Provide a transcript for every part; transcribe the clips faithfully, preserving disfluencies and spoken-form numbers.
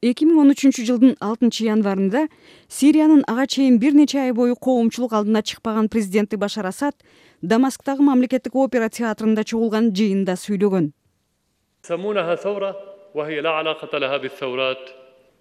эки миң он үчүнчү жылдын алтынчы январында Сириянын ага чейин бир нече ай бою коомчулук алдына чыкпаган президенти Башар Асад Дамасктагы мамлекеттик опера театрында чогулган жыйында сүйлөгөн.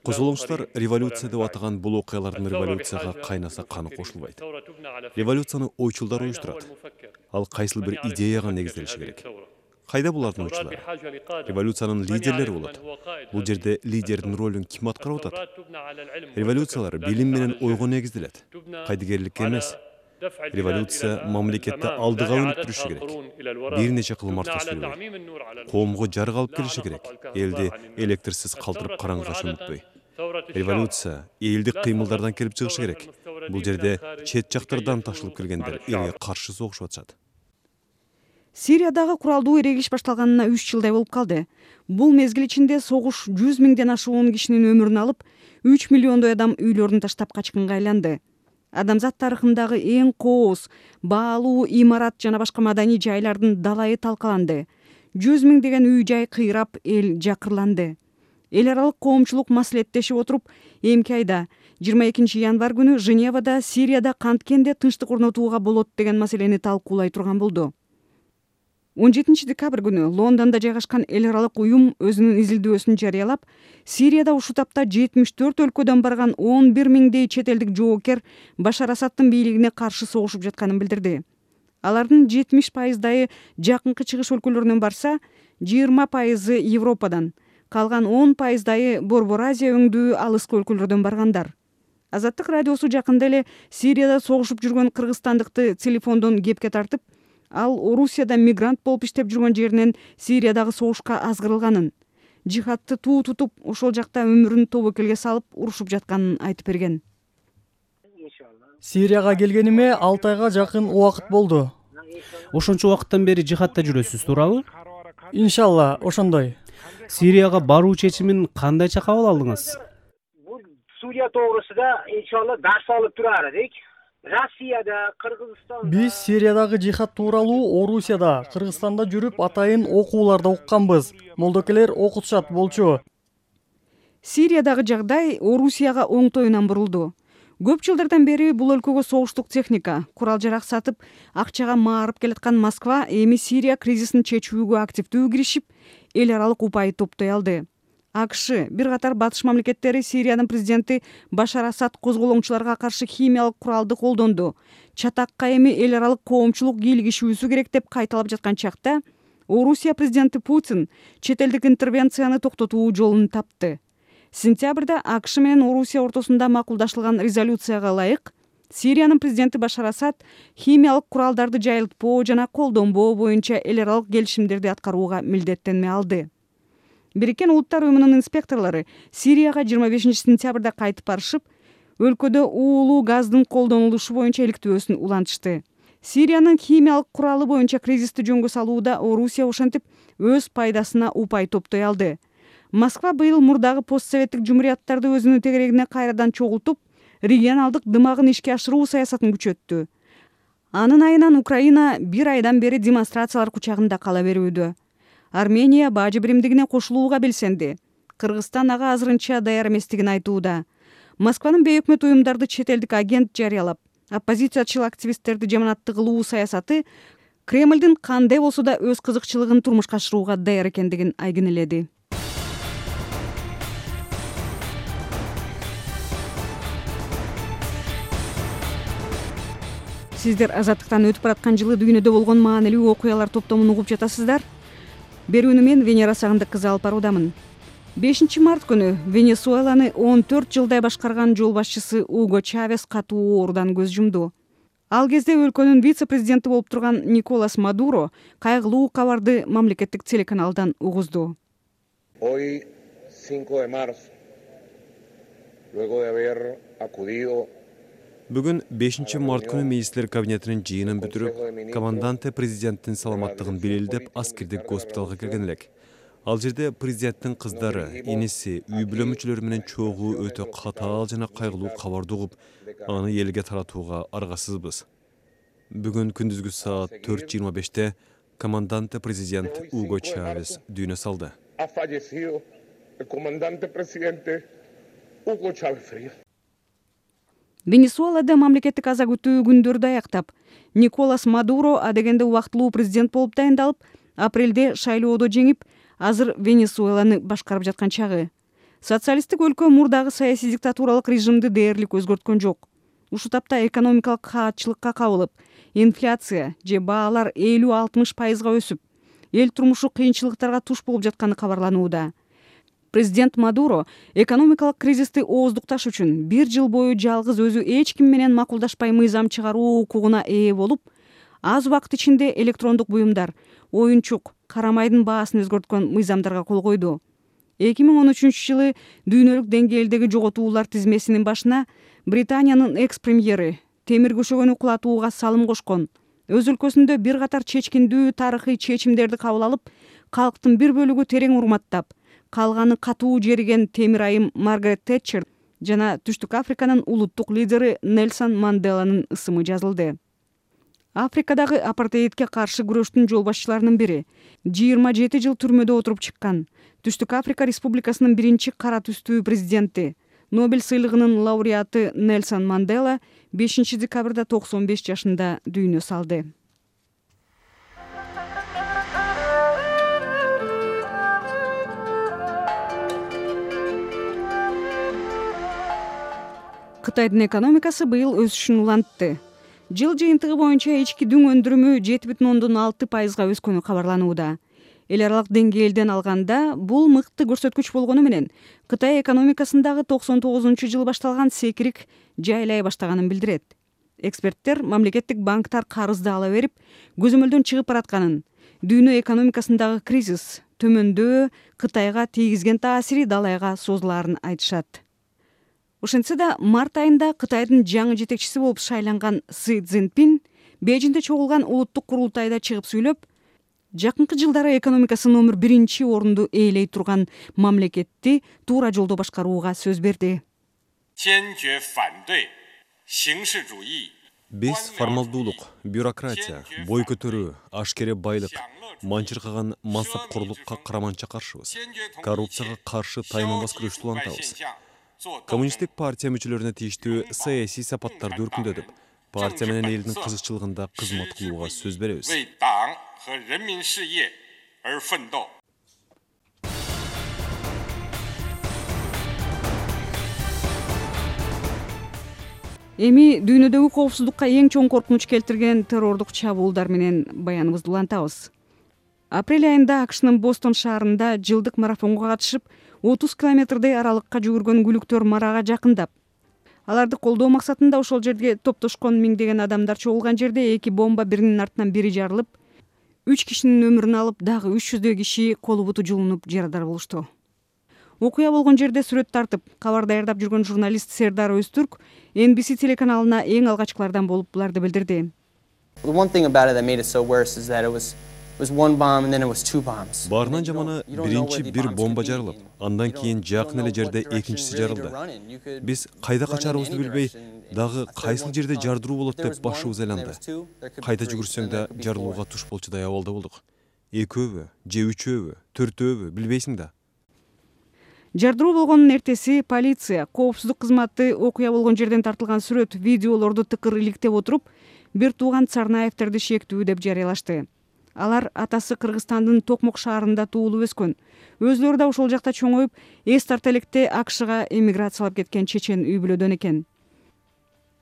Козголоңчулар революция деп атаган бул окуялардын революцияга кайнаса каны кошулбайт. Революцияны ойчулдар уюштурат. Ал кайсыл бир идеяга негизделиши керек. Кайда булардын ойчулары? Революциянын лидерлери болот. Бул жерде лидердин ролун ким аткарып атат? Революциялар билим менен ойго негизделет. Кайдыгерликке эмес. Революция мамлекетти алдыга өнүктүрүшү керек. Бир нече кылмар түшүрүлөт. Коомго жарык алып келиши керек. Элди электрсиз калтырып караңгыга чөмүтпөй. Революция элдик кыймылдардан келип чыгышы керек. Бул жерде чет жактардан ташылып келгендер элге каршы согушуп атышат. Сириядагы куралдуу эрегиш башталганына үч жылдай болуп калды. Бул мезгил ичинде согуш жүз миңден ашуун кишинин өмүрүн алып, үч миллиондой адам үйлөрүн таштап качкынга айланды. Адамзат тарыхындагы эң кооз, баалуу имарат жана башка маданий жайлардын далайы талкаланды. жүз миңдеген үй жай кыйрап, эл жакырланды. Эл аралык коомчулук маслихаттешип отуруп, эмки айда жыйырма экинчи январ күнү Женевада Сирияда канткенде тынчтык орнотууга болот деген маселени талкуулай турган болду. он жетинчи декабрь күнү Лондондо жайгашкан эл аралык уюм өзүнүн изилдөөсүн жарыялап, Сирияда ушул тапта жетимиш төрт өлкөдөн барган он бир миңдей чет элдик жоокер Башар Асадтын бийлигине каршы согушуп жатканын билдирди. Алардын жетимиш пайыздайы жакынкы чыгыш өлкөлөрүнөн барса, жыйырма пайызы Европадан, калган он пайыздайы Борбор Азия өңдүү алыскы өлкөлөрдөн баргандар. Азаттык радиосу жакында эле Сирияда согушуп жүргөн кыргызстандыкты телефондон кепке тартып, ал Орусияда мигрант болуп иштеп жүргөн жеринен Сириядагы согушка азгырылганын, жихадты туу тутуп, ошол жакта өмүрүн тобокелге салып урушуп жатканын айтып берген. Сирияга келгениме алты айга жакын убакыт болду. Ошончо убакыттан бери жихадта жүрөсүз, туурабы? Иншалла, ошондой. Сирияга баруу чечимин кандайча кабыл алдыңыз? Бул Сурия тоогрусунда иншалла дарс алып турар элек. Россияда, Кыргызстанда. Биз Сириядагы жихад тууралуу Орусияда, Кыргызстанда жүрүп атайын окууларда укканбыз. Молдокелер окутушат болчу. Сириядагы жагдай Орусияга оңтоюнан бурулду. Көп жылдардан бери бул өлкөгө согуштук техника, курал-жарак сатып, акчага маарып келаткан Москва эми Сирия кризисин чечүүгө активдүү киришип, эл аралык упай топтой алды. АКШ, бир катар батыш мамлекеттери Сириянын президенти Башар Асад козголоңчуларга каршы химиялык куралды колдонду. Чатакка эми эл аралык коомчулук кийлигишүүсү керек деп кайталап жаткан чакта, Орусия президенти Путин чет элдик интервенцияны токтотуу жолун тапты. Сентябрда АКШ менен Орусия ортосунда макулдашылган резолюцияга ылайык, Сириянын президенти Башар Асад химиялык куралдарды жайылтпоо жана колдонбоо боюнча эл аралык келишимдерди аткарууга милдеттенме алды. Бириккен Улуттар уюмунун инспекторлору Сирияга жыйырма бешинчи сентябрда кайтып барышып, өлкөдө уулуу газдын колдонулушу боюнча иликтөөсүн улантышты. Сириянын химиялык куралы боюнча кризисти жөнгө салууда Орусия ошентип өз пайдасына упай топтой алды. Москва быйыл мурдагы постсоветтик жумурияттарды өзүнүн тегерегине кайрадан чогултуп, регионалдык дымагын ишке ашыруу саясатын күчөттү. Анын айынан Украина бир айдан бери демонстрациялар кучагында кала берүүдө. Армения бажы биримдигине кошулууга белсенди. Кыргызстан ага азырынча даяр эместигин айтууда. Москванын бейөкмөт уюмдарды чет элдик агент жарыялап, оппозициячыл активисттерди жаманатты кылуу саясаты Кремлдин кандай болсо да өз кызыкчылыгын турмушка ашырууга даяр экендигин айгинеледи. Сиздер Азаттыктан өтүп бараткан жылы дүйнөдө болгон маанилүү окуялар топтомун угуп жатасыздар. Берүүнү мен Венера Сагындык кызы алып баруудамын. бешинчи март күнү Венесуэланы он төрт жылдай башкарган жол башчысы Уго Чавес катуу оорудан көз жумду. Ал кезде өлкөнүн вице-президенти болуп турган Николас Мадуро кайгылуу кабарды мамлекеттик телеканалдан угузду. Hoy, cinco de marzo, luego de haber acudido Бүгүн бешинчи март күнү министрлер кабинетинин жыйынын бүтүрүп, команданте президенттин саламаттыгын белелдеп аскердик госпиталга келген элек. Ал жерде президенттин кыздары, иниси, үй бүлө мүчөлөрү менен чогуу өтө катаал жана кайгылуу кабарды угуп, аны элге таратууга аргасызбыз. Бүгүн күндүзгү саат төрт жыйырма беште команданте президент Уго Чавес дүйнө салды. el comandante presidente Hugo Chávez Frías. Венесуэлада мамлекеттик аза күтүү күндөрдү аяктап, Николас Мадуро адегенде убактылуу президент болуп дайындалып, апрелде шайлоодо жеңип, азыр Венесуэланы башкарып жаткан чагы. Социалисттик өлкө мурдагы саясий диктатуралык режимди дээрлик өзгөрткөн жок. Ушу тапта экономикалык каатчылыкка кабылып, инфляция же баалар элүү алтымыш пайызга өсүп, эл турмушу кыйынчылыктарга туш болуп жатканы кабарланууда. Президент Мадуро экономикалык кризисти ооздукташ үчүн бир жыл бою жалгыз өзү эч ким менен макулдашпай мыйзам чыгаруу укугуна ээ болуп, аз убакыт ичинде электрондук буюмдар, оюнчук, карамайдын баасын өзгөрткөн мыйзамдарга кол койду. эки миң он үчүнчү жылы дүйнөлүк деңгээлдеги жоготуулар тизмесинин башына Британиянын экс-премьери темир көшөгөнү кулатууга салым кошкон, өз өлкөсүндө бир катар чечкиндүү тарыхый чечимдерди кабыл алып, калктын бир бөлүгү терең урматтап, калганы катуу жериген темир айым Маргарет Тэтчер жана Түштүк Африканын улуттук лидери Нельсон Манделанын ысымы жазылды. Африкадагы апартеидке каршы күрөштүн жол башчыларынын бири, жыйырма жети жыл түрмөдө отуруп чыккан Түштүк Африка Республикасынын биринчи кара түстүү президенти, Нобель сыйлыгынын лауреаты Нельсон Мандела бешинчи декабрда токсон беш жашында дүйнө салды. Кытайдын экономикасы быйыл өсүшүн улантты. Жыл жыйынтыгы боюнча ички дүң өндүрүмү жети бүтүн ондон алты пайызга өскөнү кабарланууда. Эл аралык деңгээлден алганда бул мыкты көрсөткүч болгону менен Кытай экономикасындагы токсон тогузунчу жылы башталган секирик жайлай баштаганын билдирет. Эксперттер мамлекеттик банктар карызды ала берип, көзөмөлдөн чыгып баратканын, дүйнө экономикасындагы кризис төмөндөө Кытайга тийгизген таасири далайга созулаарын айтышат. Ошентсе да март айында Кытайдын жаңы жетекчиси болуп шайланган Си Цзиньпин Бейжиңде чогулган улуттук курултайда чыгып сүйлөп, жакынкы жылдары экономикасы номер биринчи орунду ээлей турган мамлекетти туура жолдо башкарууга сөз берди. Биз формалдуулук, бюрократия, бой көтөрүү, ашкере байлык, манчыркаган мансапкорлукка караманча каршыбыз. Коррупцияга каршы тайманбас күрөштү улантабыз. Коммунисттик партия мүчөлөрүнө тийиштүү саясий сапаттарды өркүндөтүп, партия менен элдин кызыкчылыгында кызмат кылууга сөз беребиз. Эми дүйнөдөгү коопсуздукка эң чоң коркунуч келтирген террордук чабуулдар менен баяныбызды улантабыз. Апрель айында АКШнын Бостон шаарында жылдык марафонго катышып, отуз километрдей аралыкка жүгүргөн күлүктөр марага жакындап, аларды колдоо максатында ошол жерге топтошкон миңдеген адамдар чогулган жерде эки бомба биринин артынан бири жарылып, үч кишинин өмүрүн алып, дагы үч жүздөй киши колу буту жулунуп жарадар болушту. Окуя болгон жерде сүрөт тартып, кабар даярдап жүргөн журналист Сердар Өзтүрк Эн Би Си телеканалына эң алгачкылардан болуп буларды билдирди. Баарынан жаманы биринчи бир бомба жарылып, андан кийин жакын эле жерде экинчиси жарылды. Биз кайда качарыбызды билбей, дагы кайсыл жерде жардыруу болот деп башыбыз айланды. Кайда жүгүрсөң да жарылууга туш болчудай абалда болдук. Экөөбү, же үчөөбү, төртөөбү билбейсиң да. Жардыруу болгонун эртеси полиция, коопсуздук кызматы окуя болгон жерден тартылган сүрөт, видеолорду тыкыр иликтеп отуруп, бир тууган Царнаевтерди шектүү деп жарыялашты. Алар атасы Кыргызстандын Токмок шаарында туулуп өскөн. Өзлөрү да ошол жакта чоңоюп, эс тарта электе АКШга эмиграциялап кеткен чечен үй бүлөдөн экен.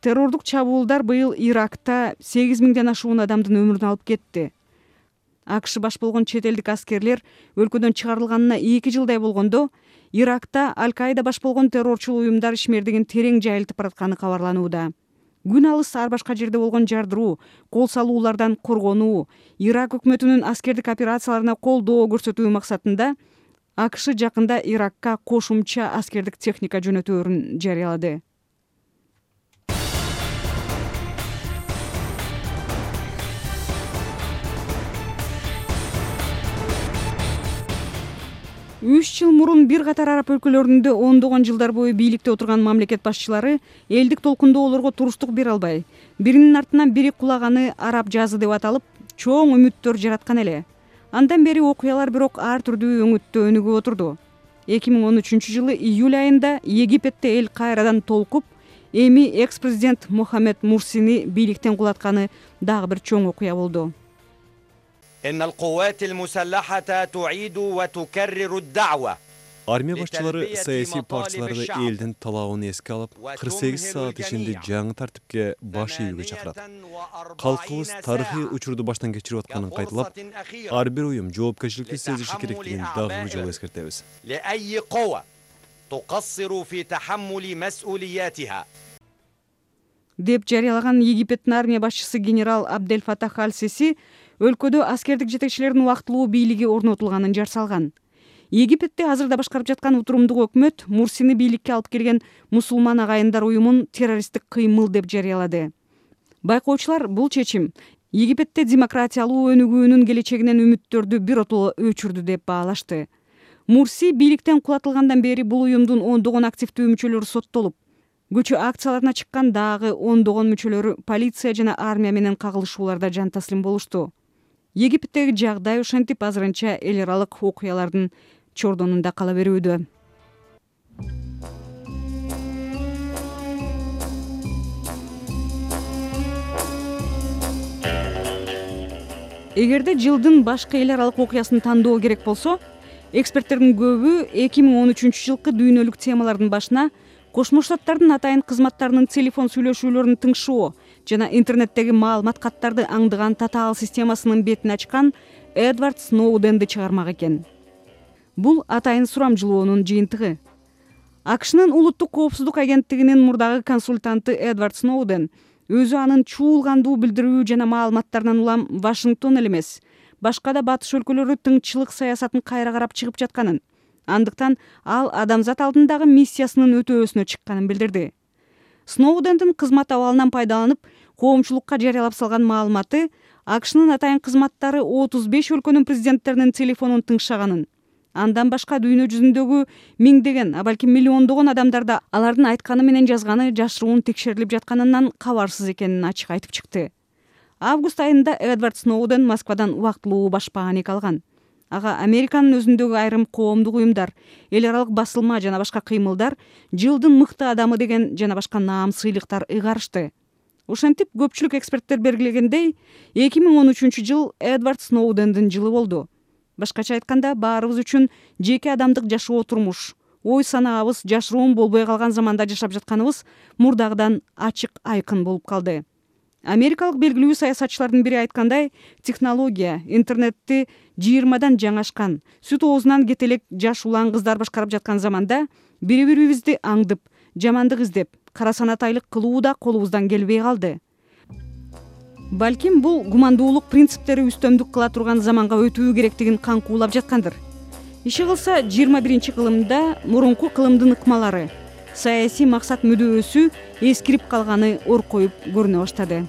Террордук чабуулдар быйыл Иракта сегиз миңден ашуун адамдын өмүрүн алып кетти. АКШ баш болгон чет элдик аскерлер өлкөдөн чыгарылганына эки жылдай болгондо, Иракта Аль-Каида баш болгон террорчул уюмдар ишмердигин терең жайылтып баратканы кабарланууда. Күн алыс ар башка жерде болгон жардыруу, кол салуулардан коргонуу, Ирак өкмөтүнүн аскердик операцияларына колдоо көрсөтүү максатында АКШ жакында Иракка кошумча аскердик техника жөнөтөөрүн жарыялады. үч жыл мурун бир катар араб өлкөлөрүндө ондогон жылдар бою бийликте отурган мамлекет башчылары элдик толкундоолорго туруштук бере албай, биринин артынан бири кулаганы араб жазы деп аталып, чоң үмүттөр жараткан эле. Андан бери окуялар бирок ар түрдүү өңүттө өнүгүп отурду. эки миң он үчүнчү жылы июль айында Египетте эл кайрадан толкуп, эми экс-президент Мохаммед Мурсини бийликтен кулатканы дагы бир чоң окуя болду. Армия башчылары саясий партияларды элдин талабын эске алып, кырк сегиз саат ичинде жаңы тартипке баш ийүүгө чакырат. Калкыбыз тарыхый учурду баштан кечирип атканын кайталап, ар бир уюм жоопкерчиликти сезиши керектигин дагы бир жолу эскертебиз. деп жарыялаган Египеттин армия башчысы генерал Абдель Фатах аль-Сиси өлкөдө аскердик жетекчилердин убактылуу бийлиги орнотулганын жар салган. Египетте азырда башкарып жаткан утурумдук өкмөт Мурсини бийликке алып келген мусулман агайындар уюмун террористтик кыймыл деп жарыялады. Байкоочулар бул чечим Египетте демократиялуу өнүгүүнүн келечегинен үмүттөрдү биротоло өчүрдү деп баалашты. Мурси бийликтен кулатылгандан бери бул уюмдун ондогон активдүү мүчөлөрү соттолуп, көчө акцияларына чыккан дагы ондогон мүчөлөрү полиция жана армия менен кагылышууларда жан таслим болушту. Египеттеги жагдай ошентип азырынча эл аралык окуялардын чордонунда кала берүүдө. Эгерде жылдын башкы эл аралык окуясын тандоо керек болсо, эксперттердин көбү эки миң он үчүнчү жылкы дүйнөлүк темалардын башына Кошмо Штаттардын атайын кызматтарынын телефон сүйлөшүүлөрүн тыңшоо жана интернеттеги маалымат каттарды аңдыган татаал системасынын бетин ачкан Эдвард Сноуденди чыгармак экен. Бул атайын сурамжылоонун жыйынтыгы. АКШнын улуттук коопсуздук агенттигинин мурдагы консультанты Эдвард Сноуден өзү анын чуулгандуу билдирүү жана маалыматтарынан улам Вашингтон эле эмес, башка да батыш өлкөлөрү тыңчылык саясатын кайра карап чыгып жатканын, андыктан ал адамзат алдындагы миссиясынын өтөөсүнө чыкканын билдирди. Сноудендин кызмат абалынан пайдаланып, коомчулукка жарыялап салган маалыматы АКШнын атайын кызматтары отуз беш өлкөнүн президенттеринин телефонун тыңшаганын, андан башка дүйнө жүзүндөгү миңдеген, а балким миллиондогон адамдарда алардын айтканы менен жазганы жашыруун текшерилип жатканынан кабарсыз экенин ачык айтып чыкты. Август айында Эдвард Сноуден Москвадан убактылуу башпаанек алган. Ага Американын өзүндөгү айрым коомдук уюмдар, эл аралык басылма жана башка кыймылдар жылдын мыкты адамы деген жана башка наам сыйлыктар ыйгарышты. Ошентип көпчүлүк эксперттер белгилегендей, эки миң он үчүнчү жыл Эдвард Сноудендин жылы болду. Башкача айтканда, баарыбыз үчүн жеке адамдык жашоо турмуш, ой санаабыз жашыруун болбой калган заманда жашап жатканыбыз мурдагыдан ачык айкын болуп калды. Америкалык белгилүү саясатчылардын бири айткандай, технология, интернетти жыйырмадан жаңашкан, сүт оозунан кете элек жаш улан кыздар башкарып жаткан заманда бири бирибизди аңдып, жамандык издеп, кара санатайлык кылуу да колубуздан келбей калды. Балким бул гумандуулук принциптери үстөмдүк кыла турган заманга өтүү керектигин каңкуулап жаткандыр. Иши кылса жыйырма биринчи кылымда мурунку кылымдын ыкмалары, саясий максат мүдөөсү эскирип калганы оркоюп көрүнө баштады.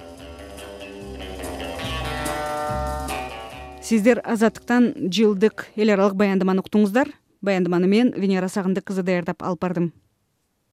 Сиздер Азаттыктан жылдык эл аралык баяндаманы уктуңуздар. Баяндаманы мен Венера Сагындык кызы даярдап алып бардым.